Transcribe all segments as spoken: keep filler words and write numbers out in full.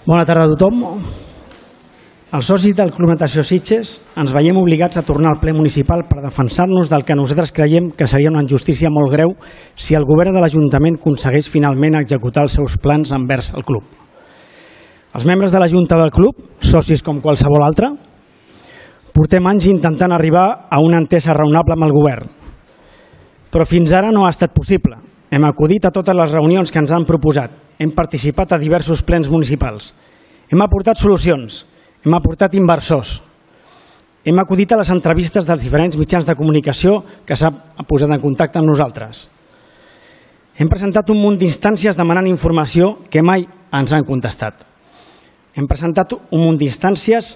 Bona tarda a tothom. Els socis del Club Natació Sitges ens veiem obligats a tornar al ple municipal per defensar-nos del que nosaltres creiem que seria una injustícia molt greu si el govern de l'Ajuntament aconsegueix finalment executar els seus plans envers el club. Els membres de la Junta del club, socis com qualsevol altre, portem anys intentant arribar a una entesa raonable amb el govern, però fins ara no ha estat possible. Hem acudit a totes les reunions que ens han proposat, hem participat a diversos plens municipals, hem aportat solucions, hem aportat inversors, hem acudit a les entrevistes dels diferents mitjans de comunicació que s'han posat en contacte amb nosaltres. Hem presentat un munt d'instàncies demanant informació que mai ens han contestat. Hem presentat un munt d'instàncies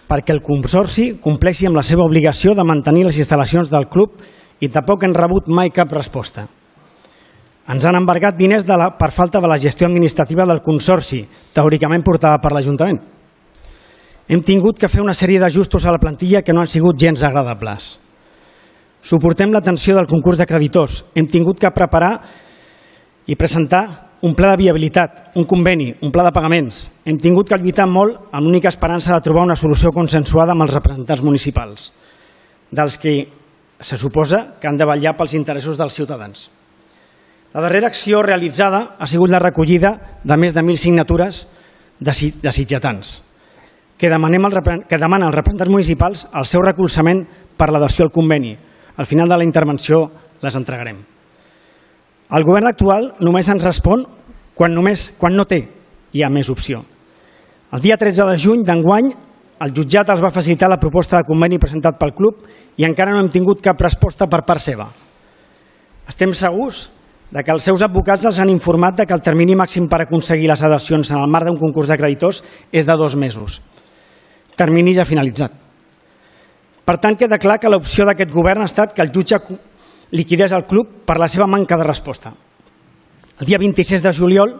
perquè el Consorci compleixi amb la seva obligació de mantenir les instal·lacions del club i tampoc hem rebut mai cap resposta. Ens han embargat diners de la, per falta de la gestió administrativa del Consorci, teòricament portada per l'Ajuntament. Hem tingut que fer una sèrie d'ajustos a la plantilla que no han sigut gens agradables. Suportem la tensió del concurs de creditors. Hem tingut que preparar i presentar un pla de viabilitat, un conveni, un pla de pagaments. Hem tingut que lluitar molt amb l'única esperança de trobar una solució consensuada amb els representants municipals, dels que se suposa que han de vetllar pels interessos dels ciutadans. La darrera acció realitzada ha sigut la recollida de més de mil signatures de sitgetans que demanen als representants municipals el seu recolzament per l'adhesió al conveni. Al final de la intervenció les entregarem. El govern actual només ens respon quan, només, quan no té hi ha més opció. El dia tretze de juny d'enguany el jutjat els va facilitar la proposta de conveni presentat pel club i encara no hem tingut cap resposta per part seva. Estem segurs de que els seus advocats els han informat de que el termini màxim per aconseguir les adhesions en el marc d'un concurs de creditors és de dos mesos. Termini ja finalitzat. Per tant, queda clar que l'opció d'aquest govern ha estat que el jutge liquidés el club per la seva manca de resposta. El dia vint-i-sis de juliol,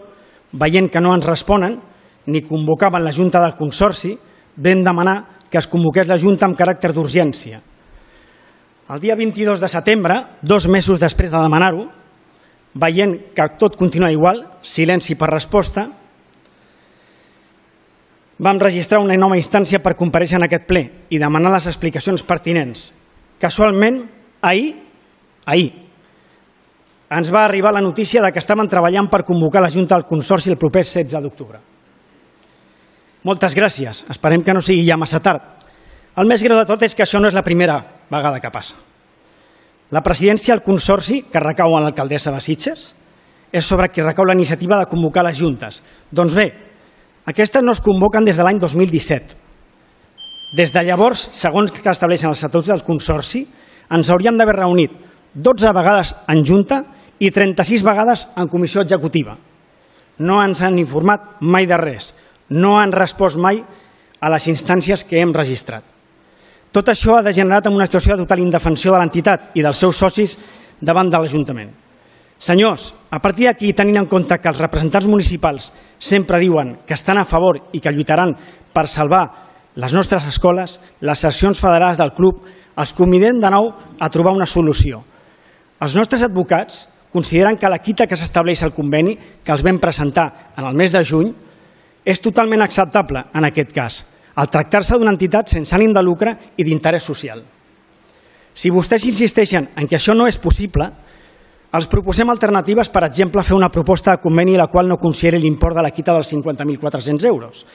veient que no ens responen ni convocaven la Junta del Consorci, vam demanar que es convoqués la Junta amb caràcter d'urgència. El dia vint-i-dos de setembre, dos mesos després de demanar-ho, veient que tot continua igual, silenci per resposta, vam registrar una nova instància per comparèixer en aquest ple i demanar les explicacions pertinents. Casualment, ahir, ahir, ens va arribar la notícia de que estaven treballant per convocar la Junta del Consorci el proper setze d'octubre. Moltes gràcies, esperem que no sigui ja massa tard. El més greu de tot és que això no és la primera vegada que passa. La presidència del Consorci, que recau en l'alcaldessa de Sitges, és sobre qui recau la iniciativa de convocar les juntes. Doncs bé, aquestes no es convoquen des de l'any dos mil disset. Des de llavors, segons que estableixen els estatuts del Consorci, ens hauríem d'haver reunit dotze vegades en junta i trenta-sis vegades en comissió executiva. No ens han informat mai de res, no han respost mai a les instàncies que hem registrat. Tot això ha degenerat en una situació de total indefensió de l'entitat i dels seus socis davant de l'Ajuntament. Senyors, a partir d'aquí, tenint en compte que els representants municipals sempre diuen que estan a favor i que lluitaran per salvar les nostres escoles, les seccions federals del club, els convidem de nou a trobar una solució. Els nostres advocats consideren que la quita que s'estableix al conveni, que els vam presentar en el mes de juny, és totalment acceptable en aquest cas, al tractar-se d'una entitat sense ànim de lucre i d'interès social. Si vostès insisteixen en que això no és possible, els proposem alternatives, per exemple, fer una proposta de conveni la qual no consideri l'import de la quita dels cinquanta mil quatre-cents euros,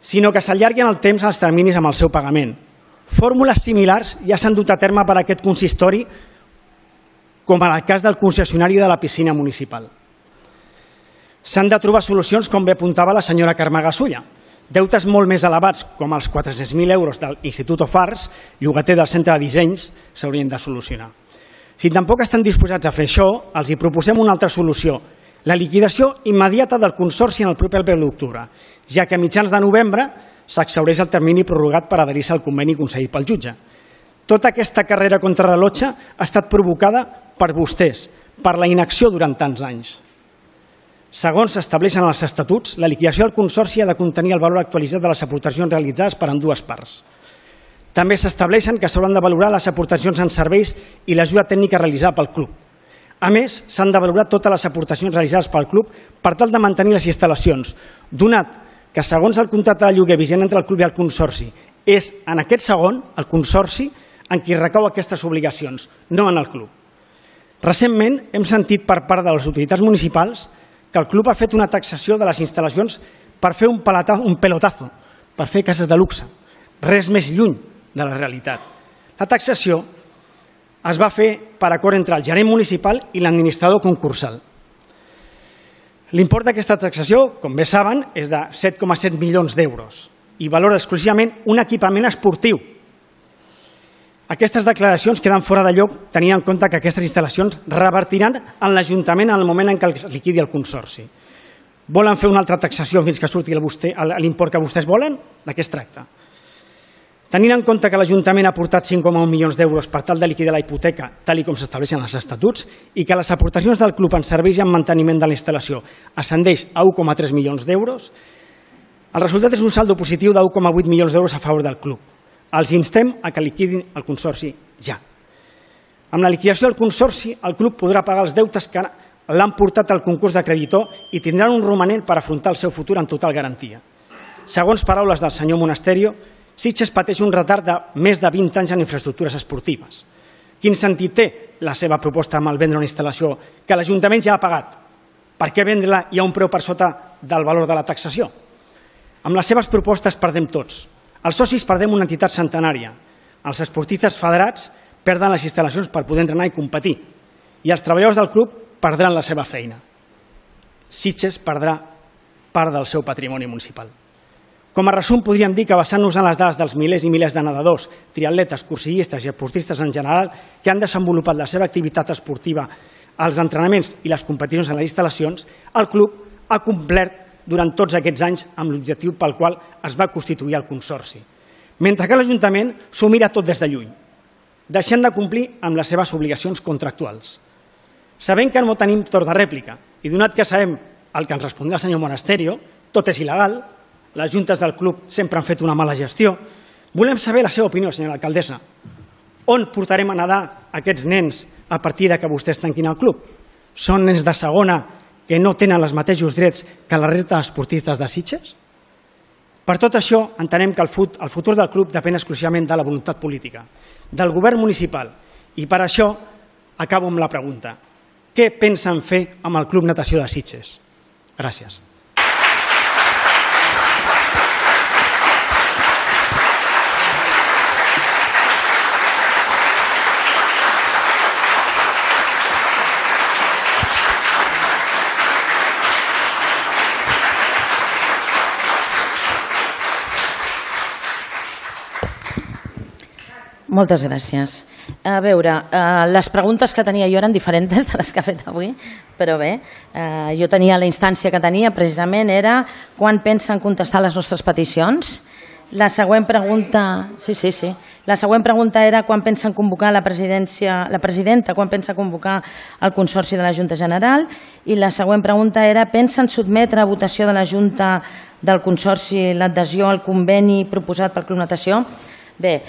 sinó que s'allarguen el temps als terminis amb el seu pagament. Fórmules similars ja s'han dut a terme per a aquest consistori, com en el cas del concessionari de la piscina municipal. S'han de trobar solucions, com bé apuntava la senyora Carme Gasulla. Deutes molt més elevats, com els quatre-cents mil euros de l'Institut Fars, llogater del centre de dissenys, s'haurien de solucionar. Si tampoc estan disposats a fer això, els hi proposem una altra solució, la liquidació immediata del Consorci en el proper primer d'octubre, ja que a mitjans de novembre s'exhaureix el termini prorrogat per adherir-se al conveni concedit pel jutge. Tota aquesta carrera contrarrellotge ha estat provocada per vostès, per la inacció durant tants anys. Segons s'estableixen els estatuts, la liquidació del Consorci ha de contenir el valor actualitzat de les aportacions realitzades per ambdues parts. També s'estableixen que s'hauran de valorar les aportacions en serveis i l'ajuda tècnica realitzada pel club. A més, s'han de valorar totes les aportacions realitzades pel club per tal de mantenir les instal·lacions, donat que segons el contracte de lloguer vigent entre el club i el consorci, és en aquest segon, el consorci, en qui recau aquestes obligacions, no en el club. Recentment hem sentit per part de les autoritats municipals que el club ha fet una taxació de les instal·lacions per fer un pelotazo, per fer cases de luxe. Res més lluny de la realitat. La taxació es va fer per acord entre el gerent municipal i l'administrador concursal. L'import d'aquesta taxació, com bé saben, és de set coma set milions d'euros i valora exclusivament un equipament esportiu. Aquestes declaracions queden fora de lloc tenint en compte que aquestes instal·lacions revertiran en l'Ajuntament en el moment en què es liquidi el consorci. Volen fer una altra taxació fins que surti l'import que vostès volen? De què es tracta? Tenint en compte que l'Ajuntament ha aportat cinc coma un milions d'euros per tal de liquidar la hipoteca, tal com s'estableixen els estatuts, i que les aportacions del club en serveis i en manteniment de la instal·lació ascendeix a un coma tres milions d'euros, el resultat és un saldo positiu de un coma vuit milions d'euros a favor del club. Els instem a que liquidin el consorci ja. Amb la liquidació del consorci, el club podrà pagar els deutes que l'han portat al concurs de creditor i tindran un romanent per afrontar el seu futur amb total garantia. Segons paraules del senyor Monasterio, Sitges pateix un retard de més de vint anys en infraestructures esportives. Quin sentit té la seva proposta amb el vendre una instal·lació que l'Ajuntament ja ha pagat? Per què vendre-la i a un preu per sota del valor de la taxació? Amb les seves propostes perdem tots. Els socis perdem una entitat centenària. Els esportistes federats perden les instal·lacions per poder entrenar i competir. I els treballadors del club perdran la seva feina. Sitges perdrà part del seu patrimoni municipal. Com a resum, podríem dir que basant-nos en les dades dels milers i milers de nedadors, triatletes, cursillistes i esportistes en general que han desenvolupat la seva activitat esportiva als entrenaments i les competicions en les instal·lacions, el club ha complert durant tots aquests anys amb l'objectiu pel qual es va constituir el consorci. Mentre que l'Ajuntament s'ho mira tot des de lluny, deixant de complir amb les seves obligacions contractuals. Sabent que no tenim torn de rèplica i donat que sabem el que ens respondrà el senyor Monasterio, tot és il·legal, les juntes del club sempre han fet una mala gestió, volem saber la seva opinió, senyora alcaldessa. On portarem a nedar aquests nens a partir que vostès tanquin el club? Són nens de segona que no tenen els mateixos drets que la resta d'esportistes de Sitges? Per tot això, entenem que el futur del club depèn exclusivament de la voluntat política, del govern municipal, i per això acabo amb la pregunta. Què pensen fer amb el Club Natació de Sitges? Gràcies. Moltes gràcies. A veure, eh, les preguntes que tenia jo eren diferents de les que ha fet avui, però bé, eh, jo tenia la instància que tenia, precisament era quan pensen contestar les nostres peticions. La següent pregunta, sí, sí, sí. La següent pregunta era quan pensen convocar la presidència, la presidenta, quan pensa convocar el Consorci de la Junta General, i la següent pregunta era pensen sotmetre a votació de la Junta del Consorci l'adhesió al conveni proposat pel Club Natació. Bé,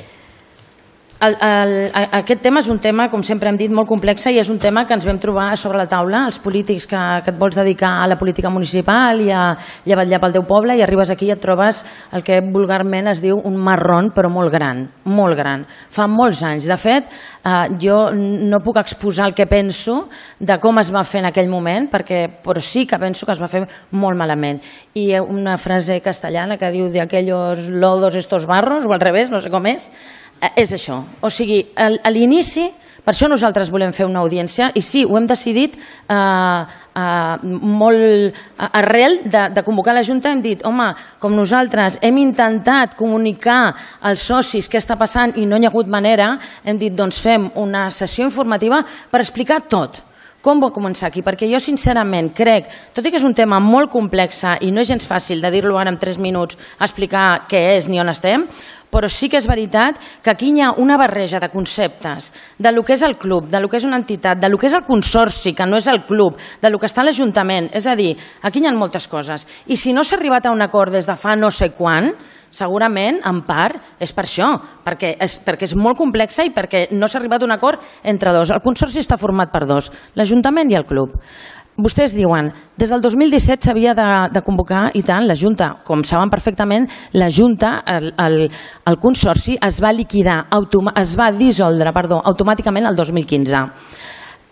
El, el, aquest tema és un tema, com sempre hem dit, molt complex i és un tema que ens vam trobar sobre la taula, els polítics que, que et vols dedicar a la política municipal i a, i a vetllar pel teu poble, i arribes aquí i et trobes el que vulgarment es diu un marrón, però molt gran, molt gran. Fa molts anys. De fet, eh, jo no puc exposar el que penso de com es va fer en aquell moment, perquè, però sí que penso que es va fer molt malament. I una frase castellana que diu de aquellos lodos estos barros, o al revés, no sé com és, és això. O sigui, a l'inici, per això nosaltres volem fer una audiència, i sí, ho hem decidit eh, eh, molt arrel de, de convocar la Junta. Hem dit, home, com nosaltres hem intentat comunicar als socis què està passant i no hi ha hagut manera, hem dit, doncs fem una sessió informativa per explicar tot. Com va començar aquí? Perquè jo sincerament crec, tot i que és un tema molt complex i no és gens fàcil de dir-lo ara en tres minuts, explicar què és ni on estem, però sí que és veritat que aquí hi ha una barreja de conceptes de lo que és el club, de lo que és una entitat, de lo que és el consorci, que no és el club, de lo que està a l'Ajuntament. És a dir, aquí hi ha moltes coses. I si no s'ha arribat a un acord des de fa no sé quan, segurament, en part, és per això, perquè és, perquè és molt complexa i perquè no s'ha arribat a un acord entre dos. El consorci està format per dos, l'Ajuntament i el club. Vostès diuen, des del dos mil disset s'havia de, de convocar, i tant, la Junta. Com saben perfectament, la Junta, el, el, el consorci, es va liquidar, es va dissoldre, perdó, automàticament el dos mil quinze.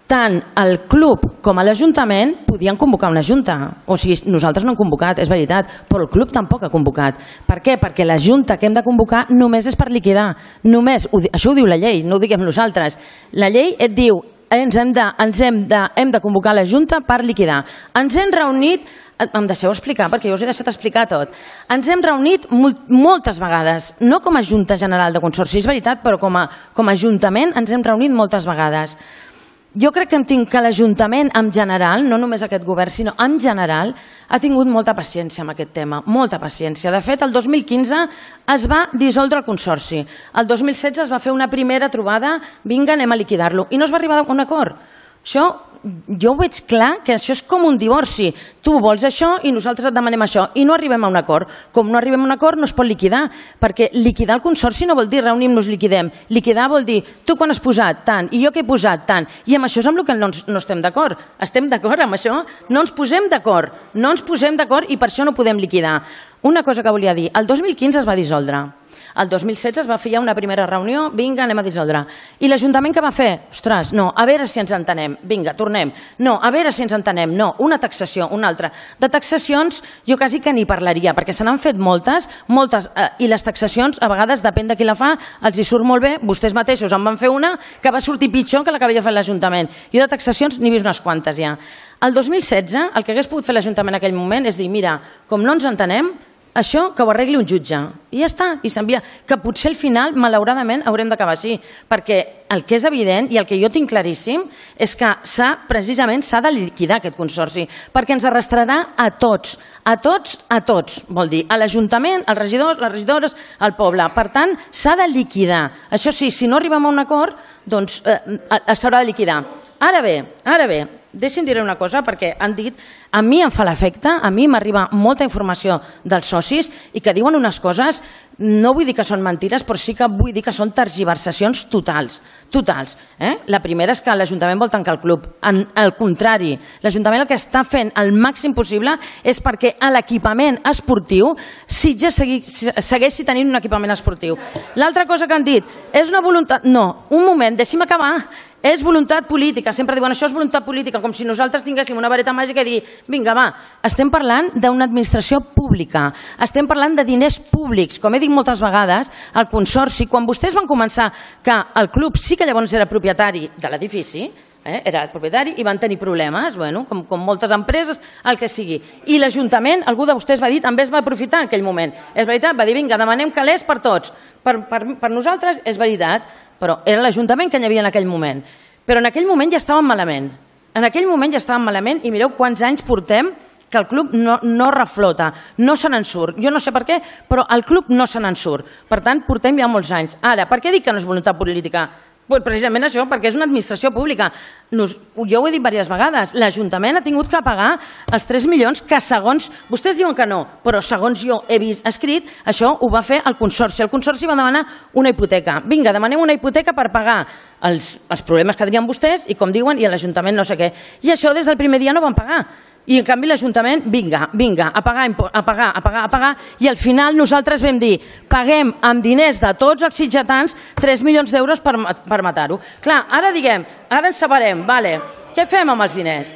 Tant el club com l'Ajuntament podien convocar una Junta. O sigui, nosaltres no hem convocat, és veritat, però el club tampoc ha convocat. Per què? Perquè la Junta que hem de convocar només és per liquidar. Només, això ho diu la llei, no ho diguem nosaltres. La llei et diu, ens hem de, ens hem de, hem de convocar la Junta per liquidar. Ens hem reunit, em deixeu explicar, perquè jo us he deixat explicar tot. Ens hem reunit moltes vegades, no com a Junta General de Consorci, és veritat, però com a, com a Ajuntament ens hem reunit moltes vegades. Jo crec que, que l'Ajuntament en general, no només aquest govern, sinó en general, ha tingut molta paciència amb aquest tema, molta paciència. De fet, el dos mil quinze es va dissoldre el consorci. El dos mil setze es va fer una primera trobada, vinga, anem a liquidar-lo, i no es va arribar a un acord. Això, jo ho veig clar, que això és com un divorci. Tu vols això i nosaltres et demanem això, i no arribem a un acord. Com no arribem a un acord, no es pot liquidar, perquè liquidar el consorci no vol dir reunir-nos, liquidem. Liquidar vol dir, tu quan has posat tant, i jo que he posat tant, i amb això és amb el que no, no estem d'acord. Estem d'acord amb això? No ens posem d'acord, no ens posem d'acord i per això no podem liquidar. Una cosa que volia dir, el dos mil quinze es va dissoldre. El dos mil setze es va fer ja una primera reunió, vinga, anem a dissoldre. I l'Ajuntament què va fer? Ostres, no, a veure si ens entenem, vinga, tornem. No, a veure si ens entenem, no, una taxació, una altra. De taxacions jo quasi que n'hi parlaria, perquè se n'han fet moltes, moltes, eh, i les taxacions, a vegades, depèn de qui la fa, els hi surt molt bé, vostès mateixos en van fer una que va sortir pitjor que la que havia fet l'Ajuntament. Jo de taxacions n'he vist unes quantes ja. El dos mil setze, el que hagués pogut fer l'Ajuntament en aquell moment és dir, mira, com no ens entenem, això que ho arregli un jutge, i ja està, i s'envia. Que potser al final, malauradament, haurem d'acabar així, perquè el que és evident i el que jo tinc claríssim és que s'ha, precisament s'ha de liquidar aquest consorci, perquè ens arrastrarà a tots, a tots, a tots, vol dir, a l'Ajuntament, als regidors, les regidores, al poble. Per tant, s'ha de liquidar. Això sí, si no arribem a un acord, doncs eh, s'haurà de liquidar. Ara bé, ara bé, deixi'm dir una cosa, perquè han dit, a mi em fa l'efecte, a mi m'arriba molta informació dels socis i que diuen unes coses, no vull dir que són mentides, però sí que vull dir que són tergiversacions totals, totals. Eh? La primera és que l'Ajuntament vol tancar el club. En, al contrari, l'Ajuntament el que està fent el màxim possible és perquè a l'equipament esportiu Sitges segui, segueixi tenint un equipament esportiu. L'altra cosa que han dit, és una voluntat... No, un moment, deixi'm acabar. És voluntat política, sempre diuen això és voluntat política, com si nosaltres tinguéssim una vareta màgica i dir, vinga va, estem parlant d'una administració pública, estem parlant de diners públics, com he dit moltes vegades, el consorci, quan vostès van començar que el club sí que llavors era propietari de l'edifici, eh, era el propietari i van tenir problemes, bueno, com, com moltes empreses, el que sigui. I l'Ajuntament, algú de vostès va dir, també es va aprofitar en aquell moment. És veritat, va dir, vinga, demanem calés per tots. Per, per, per nosaltres és veritat, però era l'Ajuntament que hi havia en aquell moment. Però en aquell moment ja estàvem malament. En aquell moment ja estàvem malament i mireu quants anys portem que el club no, no reflota, no se n'en surt. Jo no sé per què, però el club no se n'en surt. Per tant, portem ja molts anys. Ara, per què dic que no és voluntat política? Pues precisament això, perquè és una administració pública. Nos, jo ho he dit diverses vegades, l'Ajuntament ha tingut que pagar els tres milions que segons, vostès diuen que no, però segons jo he vist escrit, això ho va fer el Consorci. El Consorci va demanar una hipoteca. Vinga, demanem una hipoteca per pagar els, els problemes que tenien vostès i, com diuen, i l'Ajuntament no sé què. I això des del primer dia no van pagar. I en canvi l'Ajuntament, vinga, vinga, a pagar, a pagar, a pagar, a pagar, i al final nosaltres vam dir, paguem amb diners de tots els sitgetans tres milions d'euros per, per matar-ho. Clar, ara diguem, ara ens separem, vale, què fem amb els diners?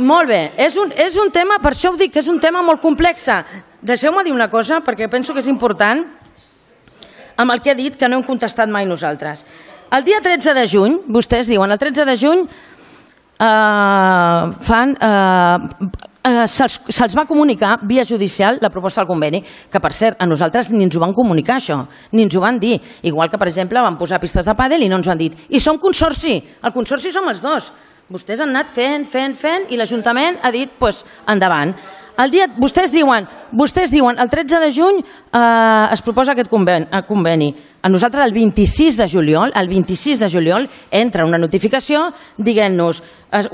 Molt bé, és un, és un tema, per això ho dic, que és un tema molt complex. Deixeu-me dir una cosa, perquè penso que és important, amb el que he dit, que no hem contestat mai nosaltres. El dia tretze de juny, vostès diuen, el tretze de juny, Uh, fan, uh, uh, se'ls se va comunicar via judicial la proposta del conveni, que per cert a nosaltres ni ens ho van comunicar això, ni ens ho van dir, igual que per exemple van posar pistes de pàdel i no ens ho han dit, i som consorci, el consorci som els dos, vostès han anat fent, fent, fent i l'Ajuntament ha dit, doncs, endavant. el dia, vostès diuen, vostès diuen el tretze de juny eh, es proposa aquest conveni, conveni. A nosaltres el vint-i-sis de juliol, el vint-i-sis de juliol entra una notificació dient-nos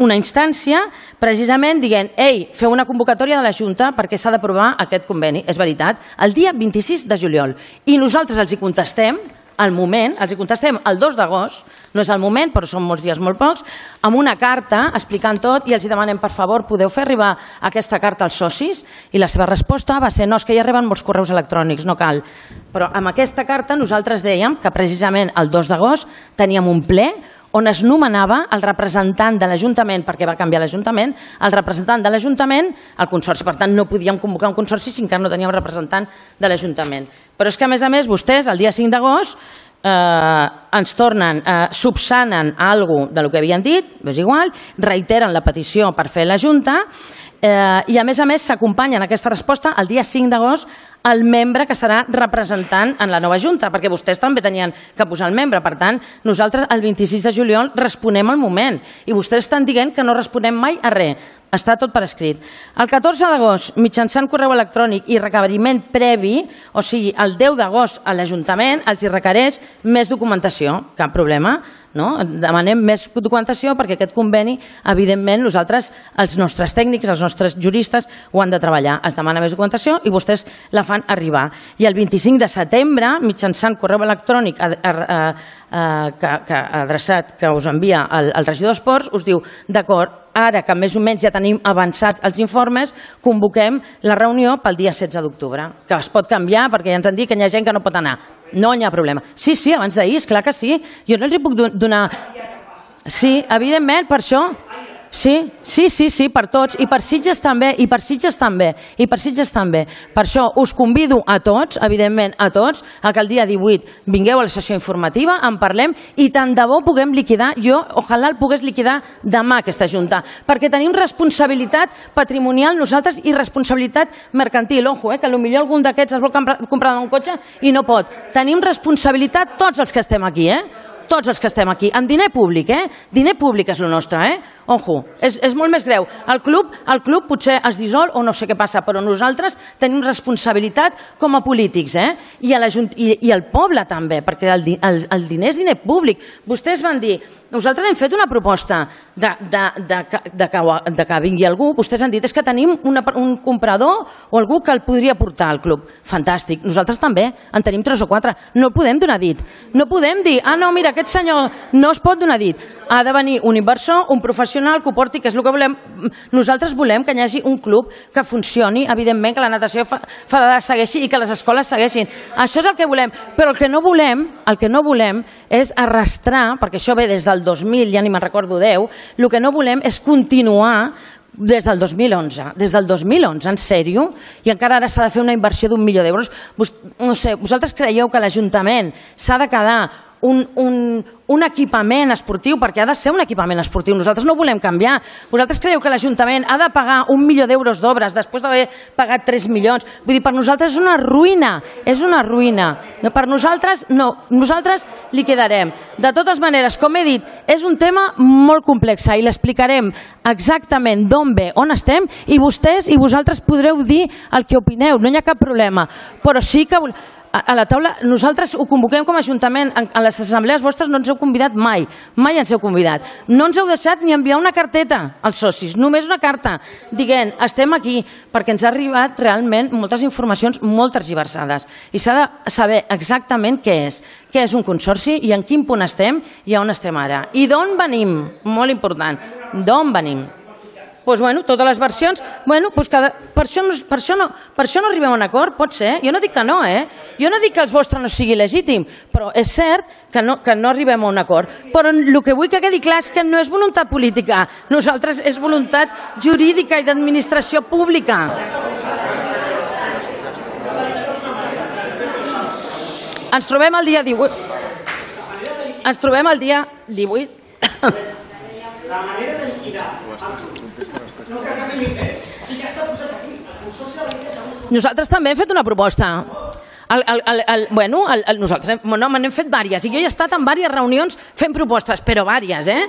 una instància precisament dient, ei, feu una convocatòria de la Junta perquè s'ha d'aprovar aquest conveni. És veritat, el dia vint-i-sis de juliol. I nosaltres els hi contestem al moment, els hi contestem el dos d'agost, no és el moment, però són molts dies molt pocs, amb una carta explicant tot i els hi demanem, per favor, podeu fer arribar aquesta carta als socis? I la seva resposta va ser, no, és que ja arriben molts correus electrònics, no cal. Però amb aquesta carta nosaltres dèiem que precisament el dos d'agost teníem un ple on es nomenava el representant de l'Ajuntament, perquè va canviar l'Ajuntament, el representant de l'Ajuntament, el Consorci. Per tant, no podíem convocar un Consorci si encara no teníem representant de l'Ajuntament. Però és que, a més a més, vostès, el dia cinc d'agost, eh, ens tornen, eh, subsanen alguna cosa del que havien dit, és igual, reiteren la petició per fer la Junta, eh, i, a més a més, s'acompanya en aquesta resposta el dia cinc d'agost el membre que serà representant en la nova Junta, perquè vostès també tenien que posar el membre. Per tant, nosaltres el vint-i-sis de juliol responem al moment i vostès estan dient que no responem mai a res. Està tot per escrit. El catorze d'agost, mitjançant correu electrònic i requeriment previ, o sigui, el deu d'agost a l'Ajuntament els hi requereix més documentació, cap problema, no? Demanem més documentació perquè aquest conveni, evidentment, nosaltres, els nostres tècnics, els nostres juristes, ho han de treballar. Es demana més documentació i vostès la fan arribar. I el vint-i-cinc de setembre, mitjançant correu electrònic a, a, a, a, que, que, adreçat que us envia el, el regidor d'Esports, us diu, d'acord, ara que més o menys ja tenim avançats els informes, convoquem la reunió pel dia setze d'octubre, que es pot canviar perquè ja ens han dit que hi ha gent que no pot anar. No hi ha problema. Sí, sí, abans d'ahir, esclar que sí. Jo no els hi puc donar... Sí, evidentment, per això... Sí, sí, sí, sí, per tots, i per Sitges també, i per Sitges també, i per Sitges també. Per això us convido a tots, evidentment a tots, a que el dia divuit vingueu a la sessió informativa, en parlem, i tant de bo puguem liquidar, jo, ojalà el pogués liquidar demà aquesta Junta, perquè tenim responsabilitat patrimonial nosaltres i responsabilitat mercantil. Ojo, eh, que potser algun d'aquests es vol comprar un cotxe i no pot. Tenim responsabilitat tots els que estem aquí, eh? Tots els que estem aquí, amb diner públic, eh? Diner públic és el nostre, eh? Ojo, és, és molt més greu. El club, el club potser es dissol o no sé què passa, però nosaltres tenim responsabilitat com a polítics, eh? I, a la, i, i el poble també, perquè el, el, el diner és diner públic. Vostès van dir, nosaltres hem fet una proposta de, de, de, de, de, que, de que vingui algú, vostès han dit, és que tenim una, un comprador o algú que el podria portar al club. Fantàstic, nosaltres també, en tenim tres o quatre. No el podem donar dit. No podem dir, ah no, mira, aquest senyor no es pot donar dit. Ha de venir un inversor, un professional que ho porti, que és el que volem. Nosaltres volem que hi hagi un club que funcioni, evidentment que la natació federada segueixi i que les escoles segueixin. Això és el que volem, però el que no volem, el que no volem és arrastrar, perquè això ve des del dos mil, ja ni me'n recordo deu, el que no volem és continuar des del dos mil onze. Des del dos mil onze, en sèrio? I encara ara s'ha de fer una inversió d'un milió d'euros. No sé, vosaltres creieu que l'Ajuntament s'ha de quedar un, un, un equipament esportiu, perquè ha de ser un equipament esportiu. Nosaltres no ho volem canviar. Vosaltres creieu que l'Ajuntament ha de pagar un milió d'euros d'obres després d'haver pagat tres milions? Vull dir, per nosaltres és una ruïna. És una ruïna. Per nosaltres, no. Nosaltres li quedarem. De totes maneres, com he dit, és un tema molt complex i l'explicarem exactament d'on ve, on estem, i vostès i vosaltres podreu dir el que opineu. No hi ha cap problema. Però sí que... A la taula, nosaltres ho convoquem com a Ajuntament, a les assemblees vostres no ens heu convidat mai, mai ens heu convidat. No ens heu deixat ni enviar una carteta als socis, només una carta, dient, estem aquí, perquè ens ha arribat realment moltes informacions molt tergiversades i s'ha de saber exactament què és, què és un consorci i en quin punt estem i on estem ara. I d'on venim? Molt important, d'on venim? Doncs, bueno, totes les versions, bueno, doncs cada, per, això no, per, això no, per això no arribem a un acord, pot ser, jo no dic que no, eh? Jo no dic que el vostre no sigui legítim, però és cert que no, que no arribem a un acord. Però el que vull que quedi clar és que no és voluntat política, nosaltres és voluntat jurídica i d'administració pública. Ens trobem el dia divuit. Ens trobem el dia divuit. La manera de liquidar... Nosaltres també hem fet una proposta. El, el, el, el, bueno, el, el, nosaltres hem, no, n'hem fet diverses i jo he estat en diverses reunions fent propostes, però diverses, eh?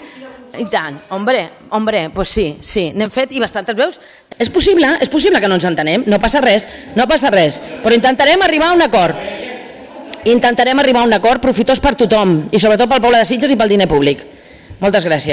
I tant, hombre, hombre, pues sí, sí, n'hem fet i bastantes veus. És possible, és possible que no ens entenem, no passa res, no passa res, però intentarem arribar a un acord. Intentarem arribar a un acord profitós per tothom i sobretot pel poble de Sitges i pel diner públic. Moltes gràcies.